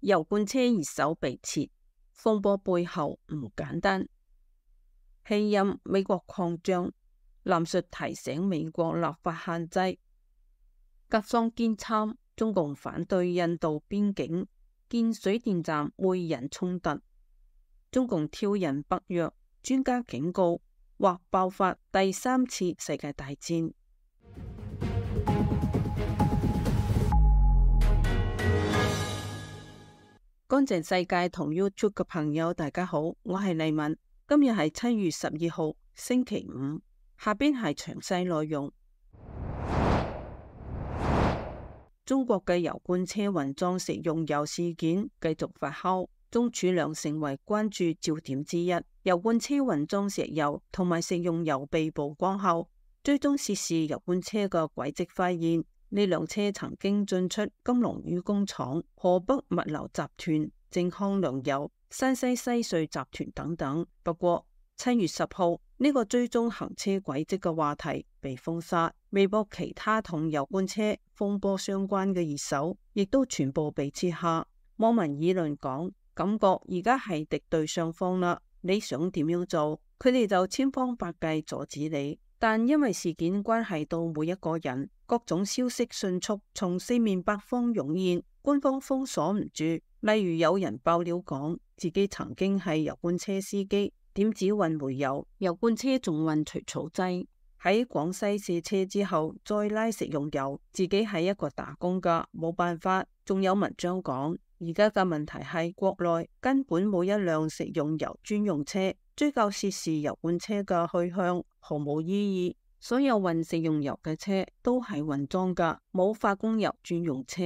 油罐車熱手被切，風波背後唔簡單。棄音美國擴張，藍述提醒美國立法限制。格桑堅參，中共反對印度邊境建水電站會引衝突。中共挑釁北約，專家警告或爆發第三次世界大戰。乾淨世界同 YouTube 嘅朋友大家好，我係麗敏。今日係7月12號星期五，下邊係詳細內容。中國嘅油罐車混裝食用油事件繼續發酵，鍾儲良成為關注焦點之一。油罐車混裝石油同埋食用油被曝光後，追蹤涉事油罐車嘅軌跡，發現呢輛車曾經進出金龍魚工廠、河北物流集團、靖康糧油、山西西瑞集團等等。不過7月10號呢個追蹤行車軌跡嘅話題被封殺，微博其他同油罐車風波相關嘅熱搜亦都全部被撤下。網民議論講，感覺而家係敵對雙方啦，你想點樣做，佢哋就千方百計阻止你。但因為事件關係到每一個人，各種消息迅速從四面八方湧現，官方封鎖唔住。例如有人爆料講自己曾經係油罐車司機，點止運煤油，油罐車仲運除草劑，喺廣西卸車之後再拉食用油，自己係一個打工噶，冇辦法。仲有文章講，而家嘅問題係國內根本冇一輛食用油專用車，追究涉事油罐車嘅去向毫無意義。所有運食用油嘅車都係混裝噶，冇化工油專用車。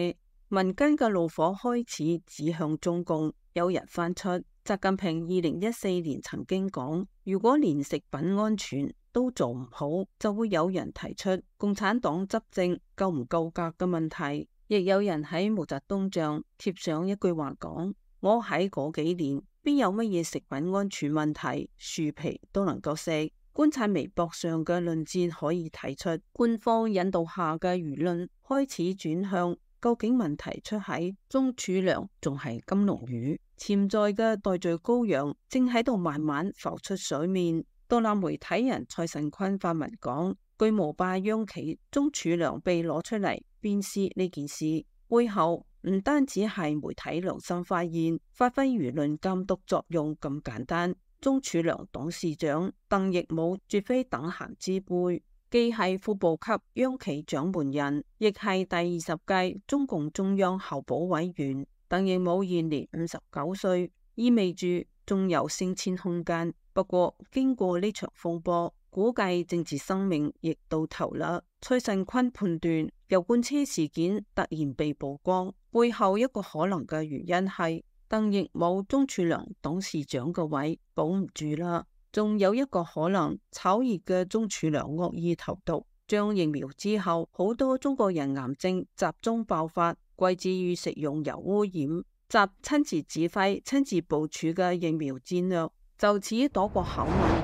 民間嘅怒火開始指向中共，有人翻出習近平2014年曾經講，如果連食品安全都做唔好，就會有人提出共產黨執政夠唔夠格嘅問題。亦有人喺毛澤東像貼上一句話講，我喺嗰幾年邊有乜嘢食品安全問題，樹皮都能夠食。觀察微博上嘅論戰可以睇出，官方引導下嘅輿論開始轉向，究竟問題出喺鍾儲良仲係金龍魚，潛在嘅代罪羔羊正喺度慢慢浮出水面。獨立媒體人蔡慎坤發文講，巨無霸央企鍾儲良被攞出嚟鞭屍呢件事，背後唔單止係媒體良心發現，發揮輿論監督作用咁簡單。鍾儲良董事長鄧奕武絕非等閒之輩，既係副部級央企掌門人，亦係第20屆中共中央候補委員。鄧奕武現年59歲，意味住仲有升遷空間。不過經過呢場風波，估計政治生命亦到頭啦。蔡慎坤判斷，油罐車事件突然被曝光，背後一個可能嘅原因係鄧奕武鍾儲良董事長個位保唔住啦。仲有一個可能，炒熱嘅鍾儲良惡意投毒，將疫苗之後好多中國人癌症集中爆發，歸之於食用油污染。習親自指揮、親自部署嘅疫苗戰略就此躲過口吻。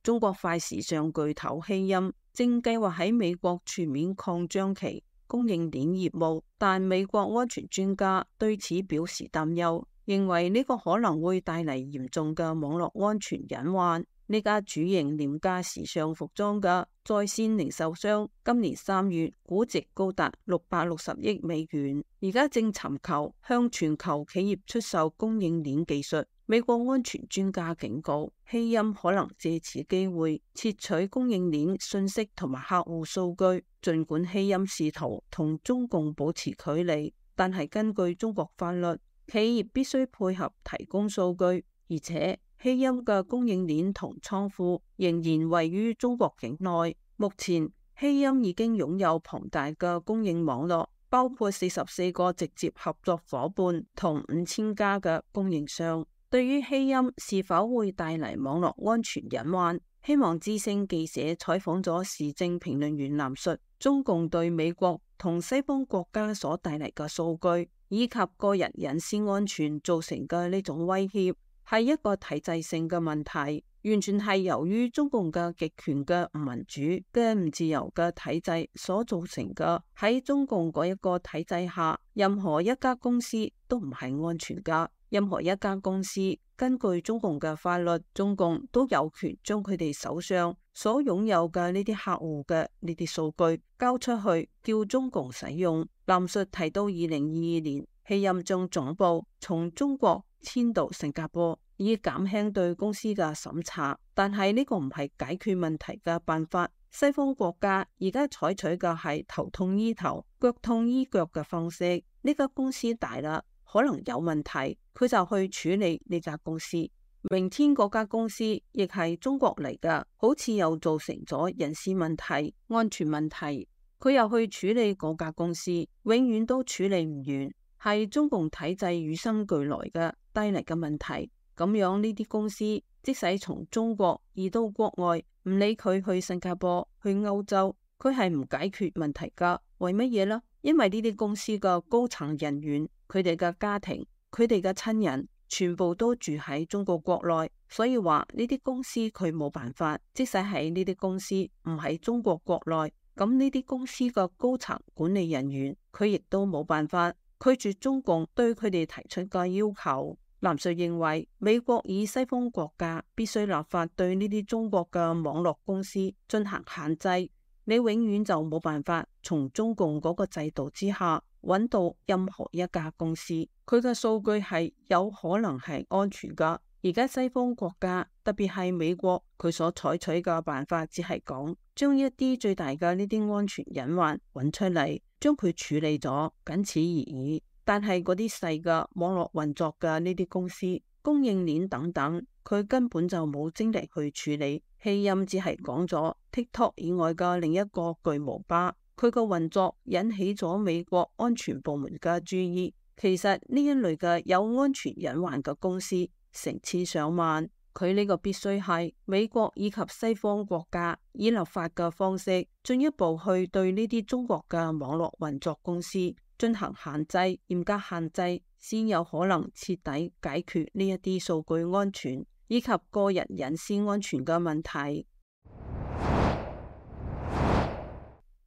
中國快時尚巨頭棄音正計劃喺美國全面擴張其供應鏈業務，但美國安全專家對此表示擔憂，認為呢個可能會帶嚟嚴重嘅網絡安全隱患。呢家主營廉價時尚服裝嘅在線零售商，今年3月估值高達660億美元，而家正尋求向全球企業出售供應鏈技術。美國安全專家警告，棄音可能借此機會竊取供應鏈信息同埋客戶數據。儘管棄音試圖同中共保持距離，但係根據中國法律，企業必須配合提供數據，而且棄音嘅供應鏈同倉庫仍然位於中國境內。目前棄音已經擁有龐大嘅供應網絡，包括44個直接合作夥伴同5000家嘅供應商。對於棄音是否會帶嚟網絡安全隱患，希望之聲記者採訪咗時政評論員藍述，中共對美國同西方國家所帶嚟嘅數據以及個人隱私安全造成嘅呢種威脅，係一個體制性嘅問題。完全係由於中共嘅極權嘅唔民主嘅唔自由嘅體制所造成嘅。喺中共嗰一個體制下，任何一家公司都唔係安全噶。任何一家公司根據中共嘅法律，中共都有權將佢哋手上所擁有嘅呢啲客戶嘅呢啲數據交出去，叫中共使用。藍述提到2022年，希任將總部從中國遷到新加坡，以減輕對公司嘅審查。但係呢個唔係解決問題嘅辦法。西方國家而家採取嘅係頭痛醫頭、腳痛醫腳嘅方式。呢家公司大啦，可能有問題，佢就去處理呢家公司。明天嗰家公司亦係中國嚟㗎，好似又造成咗人事問題、安全問題，佢又去處理嗰家公司，永遠都處理唔完，係中共體制與生俱來嘅帶嚟嘅問題。咁樣呢啲公司即使從中國移到國外，唔理佢去新加坡、去歐洲，佢係唔解決問題㗎。為乜嘢呢？因為呢啲公司嘅高層人員，佢哋嘅家庭、佢哋嘅親人，全部都住喺中國國內，所以話呢啲公司佢冇辦法。即使係呢啲公司唔喺中國國內，咁呢啲公司嘅高層管理人員，佢亦都冇辦法拒絕中共對佢哋提出嘅要求。藍述認為，美國以西方國家必須立法對呢啲中國嘅網絡公司進行限制，你永遠就冇辦法從中共嗰個制度之下揾到任何一家公司，佢嘅數據係有可能係安全噶。而家西方國家，特別係美國，佢所採取嘅辦法只係講將一啲最大嘅呢啲安全隱患揾出嚟，將佢處理咗，僅此而已。但係嗰啲細嘅網絡運作嘅呢啲公司、供應鏈等等，佢根本就冇精力去處理。希任只係講咗 TikTok 以外嘅另一個巨無霸，佢個運作引起咗美國安全部門嘅注意。其實呢一類嘅有安全隱患嘅公司成千上萬，佢呢個必須係美國以及西方國家以立法嘅方式進一步去對呢啲中國嘅網絡運作公司進行限制，嚴格限制，先有可能徹底解決呢一啲數據安全以及個人隱私安全嘅問題。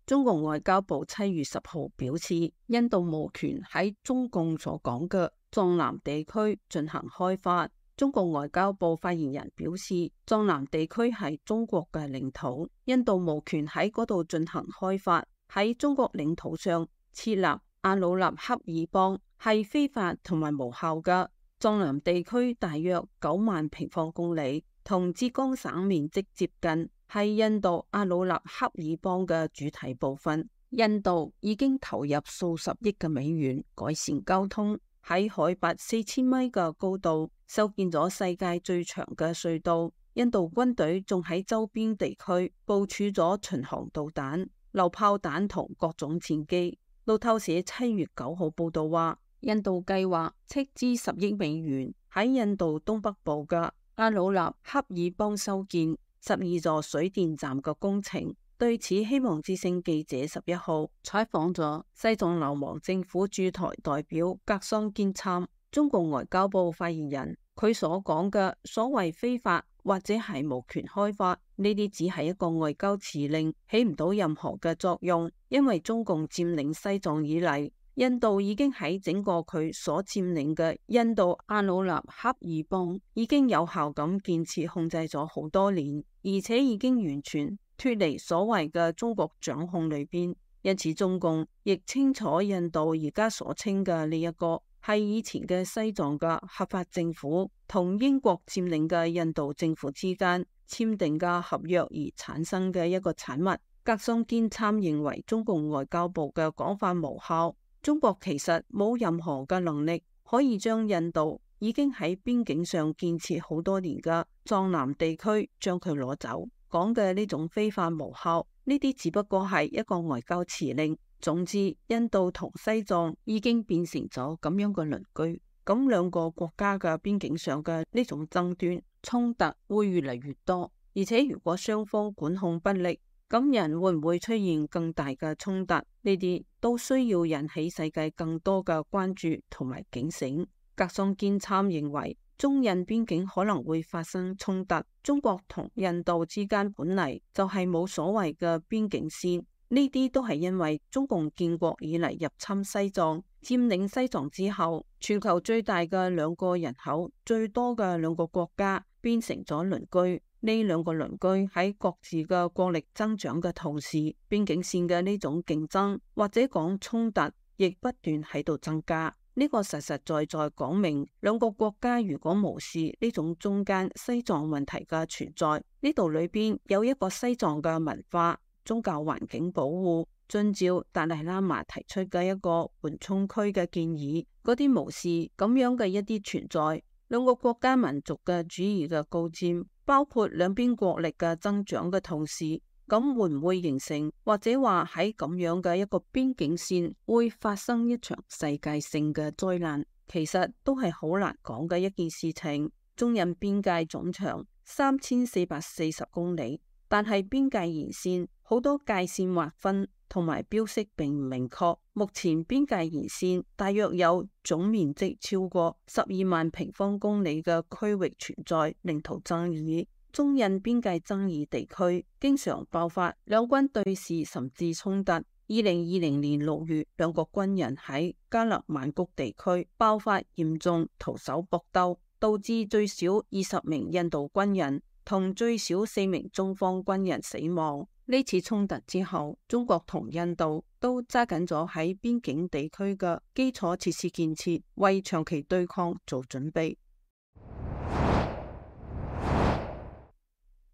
中國外交部7月10號表示，印度無權喺中共所講嘅藏南地區進行開發。中國外交部發言人表示，藏南地區係中國嘅領土，印度無權喺嗰度進行開發。喺中國領土上設立阿魯納恰爾邦係非法同埋無效嘅。藏南地區大約9萬平方公里，同浙江省面積接近，係印度阿魯納恰爾邦嘅主體部分。印度已經投入數十億嘅美元改善交通，喺海拔4000米嘅高度修建咗世界最長嘅隧道。印度軍隊仲喺周邊地區部署咗巡航導彈、榴炮彈同各種戰機。路透社7月9號報道話，印度計劃斥資10億美元喺印度東北部嘅阿魯納恰爾邦修建12座水電站嘅工程。對此，希望之聲記者11號採訪咗西藏流亡政府駐台代表格桑堅參。中共外交部發言人，佢所講嘅所謂非法或者係無權開發，呢啲只係一個外交辭令，起唔到任何嘅作用。因為中共佔領西藏以嚟，印度已經喺整個佢所佔領嘅印度阿魯納恰爾邦已經有效咁建設控制咗好多年，而且已經完全脫離所謂嘅中國掌控裏邊。因此中共亦清楚印度而家所稱嘅呢一個係以前嘅西藏嘅合法政府同英國佔領嘅印度政府之間簽訂嘅合約而產生嘅一個產物。格桑堅參認為中共外交部嘅講法無效，中國其實冇任何嘅能力可以將印度已經喺邊境上建設好多年嘅藏南地區將佢攞走。講嘅呢種非法無效，呢啲只不過係一個外交辭令。總之，印度同西藏已經變成咗咁樣嘅鄰居，咁兩個國家嘅邊境上嘅呢種爭端衝突會越嚟越多，而且如果雙方管控不力，咁人會唔會出現更大嘅衝突？呢啲都需要引起世界更多嘅關注同埋警醒。格桑堅參認為，中印邊境可能會發生衝突。中國同印度之間本嚟就係冇所謂嘅邊境線，呢啲都係因為中共建國以嚟入侵西藏，佔領西藏之後，全球最大嘅兩個人口最多嘅兩個國家變成咗鄰居。呢兩個鄰居喺各自嘅國力增長嘅同時，邊境線嘅呢種競爭或者講衝突，亦不斷喺度增加。呢個實實在在講明，兩個國家如果無視呢種中間西藏問題嘅存在，呢度裏邊有一個西藏嘅文化、宗教環境保護，遵照達賴喇嘛提出嘅一個緩衝區嘅建議，嗰啲無視咁樣嘅一啲存在，兩個國家民族嘅主義嘅高佔，包括兩邊國力嘅增長嘅同時，咁會唔會形成或者話喺咁樣嘅一個邊境線會發生一場世界性嘅災難？其實都係好難講嘅一件事情。中印邊界總長3440公里，但係邊界沿線好多界線劃分同埋標識並唔明確。目前邊界沿線大約有總面積超過12萬平方公里嘅區域存在領土爭議。中印邊界爭議地區經常爆發兩軍對峙甚至衝突。2020年6月，兩國軍人喺加勒萬谷地區爆發嚴重徒手搏鬥，導致最少20名印度軍人同最少4名中方軍人死亡。呢次衝突之後，中國同印度都揸緊咗喺邊境地區嘅基礎設施建設，為長期對抗做準備。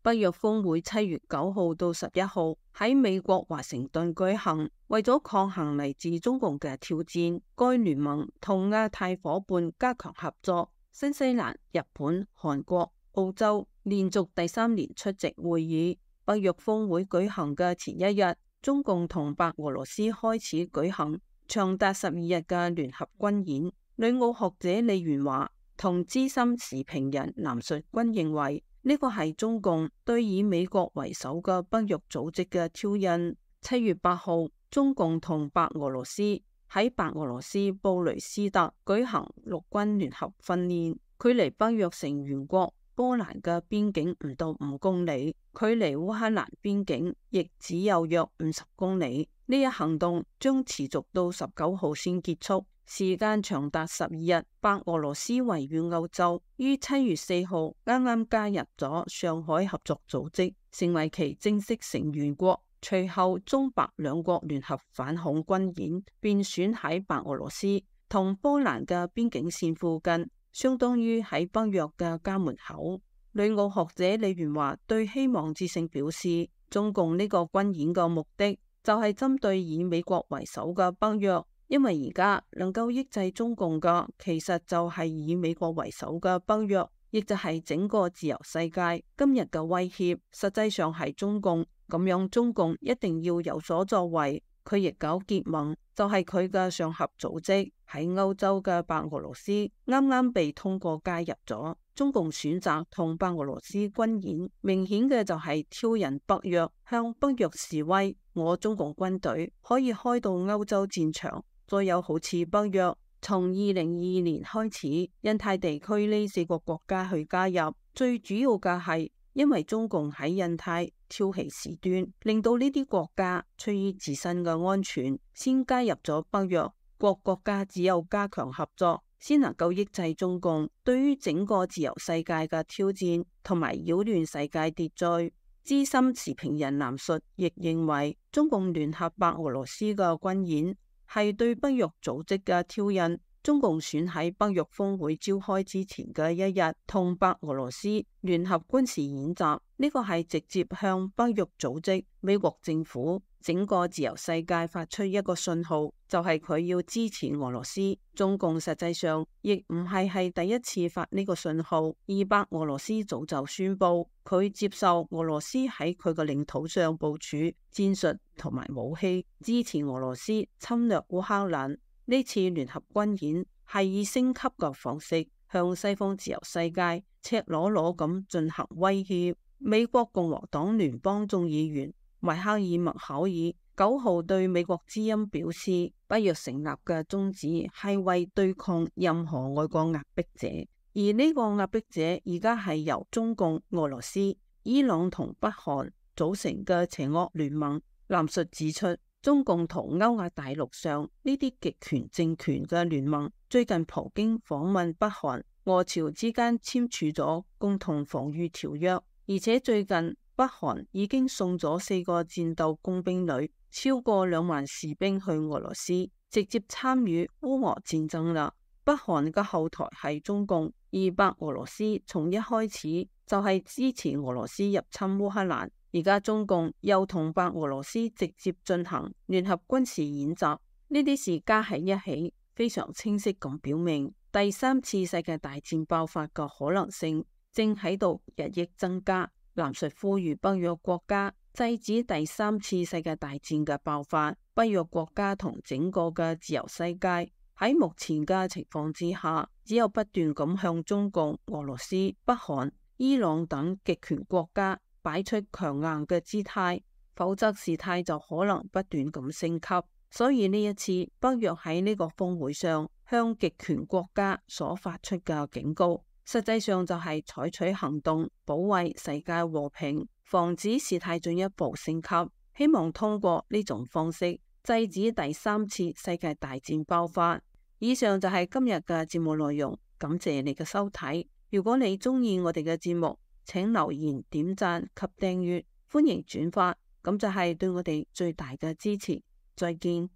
北約峰會7月9號到11號喺美國華盛頓舉行，為咗抗衡嚟自中共嘅挑戰，該聯盟同亞太夥伴加強合作。新西蘭、日本、韓國、澳洲連續第3年出席會議。北約峰會舉行嘅前一日，中共同白俄羅斯開始舉行長達12日嘅聯合軍演。旅澳學者李元華同資深時評人藍述均認為，呢個係中共對以美國為首嘅北約組織嘅挑釁。7月8號，中共同白俄羅斯喺白俄羅斯布雷斯特舉行陸軍聯合訓練，距離北約成員國波蘭嘅邊境唔到5公里，距離烏克蘭邊境亦只有約50公里。呢一行動將持續到19號先結束，時間長達12日。白俄羅斯位於歐洲，於7月4號啱啱加入咗上海合作組織，成為其正式成員國。隨後中白兩國聯合反恐軍演便選喺白俄羅斯同波蘭嘅邊境線附近，相當於喺北約嘅家門口。旅澳學者李元華對希望之聲表示，中共呢個軍演嘅目的就係針對以美國為首嘅北約，因為而家能夠抑制中共嘅，其實就係以美國為首嘅北約，亦就係整個自由世界。今日嘅威脅實際上係中共，咁樣中共一定要有所作為。佢亦搞結盟，就係佢嘅上合組織。喺歐洲嘅白俄羅斯啱啱被通過加入咗。中共選擇同白俄羅斯軍演，明顯嘅就係挑釁北約，向北約示威。我中共軍隊可以開到歐洲戰場，再有好似北約從2022年開始，印太地區呢4個國家去加入，最主要嘅係因為中共喺印太挑起事端，令到呢啲國家出於自身嘅安全，先加入咗北約。各國家只有加強合作，先能夠抑制中共對於整個自由世界嘅挑戰同埋擾亂世界秩序。資深時評人藍述亦認為，中共聯合白俄羅斯嘅軍演係對北約組織嘅挑釁。中共選喺北約峰會召開之前嘅一日同白俄羅斯聯合軍事演習，呢個係直接向北約組織、美國政府、整個自由世界發出一個信號，就係佢要支持俄羅斯。中共實際上亦唔係第一次發呢個信號，而白俄羅斯早就宣布佢接受俄羅斯喺佢嘅領土上部署戰術同埋武器，支持俄羅斯侵略烏克蘭。呢次聯合軍演係以升級嘅方式向西方自由世界赤裸裸咁進行威脅。美國共和黨聯邦眾議員邁克爾麥考爾9號對美國之音表示，北約成立嘅宗旨係為對抗任何外國壓迫者，而呢個壓迫者而家係由中共、俄羅斯、伊朗同北韓組成嘅邪惡聯盟。藍述指出，中共同歐亞大陸上呢啲極權政權嘅聯盟，最近普京訪問北韓，俄朝之間簽署咗共同防禦條約，而且最近北韓已經送咗4個戰鬥工兵旅，超過2萬士兵去俄羅斯，直接參與烏俄戰爭啦。北韓嘅後台係中共，而白俄羅斯從一開始就係支持俄羅斯入侵烏克蘭，而家中共又同白俄羅斯直接進行聯合軍事演習，呢啲事加喺一起，非常清晰咁表明第3次世界大戰爆發嘅可能性正喺度日益增加。藍述呼籲北約國家制止第3次世界大戰嘅爆發，北約國家同整個嘅自由世界喺目前嘅情況之下，只有不斷咁向中共、俄羅斯、北韓、伊朗等極權國家擺出強硬嘅姿態，否則事態就可能不斷咁升級。所以呢一次北約喺呢個峰會上向極權國家所發出嘅警告，實際上就係採取行動保衛世界和平，防止事態進一步升級，希望通過呢種方式制止第3次世界大戰爆發。以上就係今日嘅節目內容，感謝你嘅收睇。如果你鍾意我哋嘅節目，請留言、點讚及訂閱，歡迎轉發，咁就係對我哋最大嘅支持。再見。